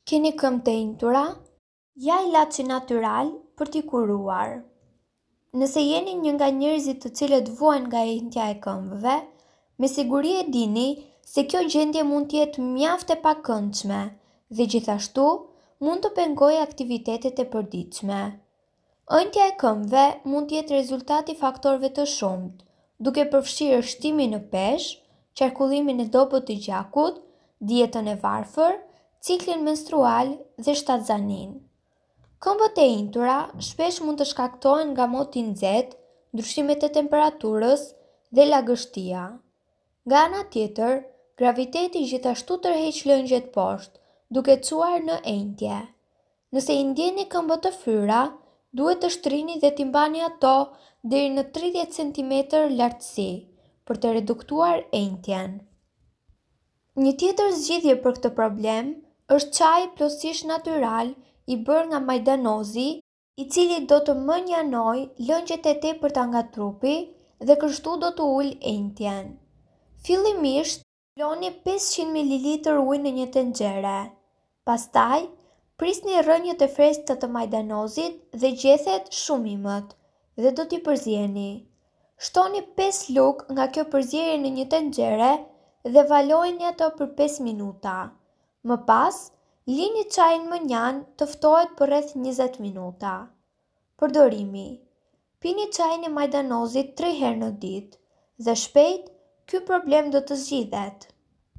Keni këmbë të enjtura? Ja ilaçi natyral për t'i kuruar. Nëse jeni një nga njerëzit të cilët vuajnë nga enjtja e këmbëve, me siguri e dini se kjo gjendje mund të jetë mjaft e pakëndshme dhe gjithashtu mund të pengojë aktivitetet e përditshme. Ënjtja e këmbëve mund të jetë rezultat i faktorëve të shumtë, duke përfshirë shtimin në peshë, qarkullimin e dobët të gjakut, dietën e varfër, ciklin menstrual dhe shtatzaninë. Këmbët e enjtura shpesh mund të shkaktohen nga moti i nxehtë, ndryshimet e temperaturës dhe lagështia. Nga ana tjetër, graviteti gjithashtu tërheq lëngjet poshtë, duke çuar në enjtje. Nëse i ndjeni këmbët të fryra, duhet të shtrini dhe t'i mbani ato deri në 30 centimetër lartësi, për të reduktuar enjtjen. Një tjetër zgjidhje për këtë problem është çaji plotësisht natyral i bërë nga majdanozi, i cili do të mënjanojë lëngjet e tepërta nga trupi dhe kështu do të ulë enjtjen. Fillimisht, Vloni 500 mililitër ujë në një tenxhere. Pastaj, prisni rrënjët e freskëta të majdanozit dhe gjethet shumë imët dhe do t'i përzieni. Shtoni 5 lugë nga kjo përzierje në një tenxhere dhe valojeni atë për 5 minuta. Më pas, lini çajin mënjanë të ftohet për rreth 20 minuta. Përdorimi Pini çajin e majdanozit 3 herë në ditë dhe shpejt ky problem do të zgjidhet.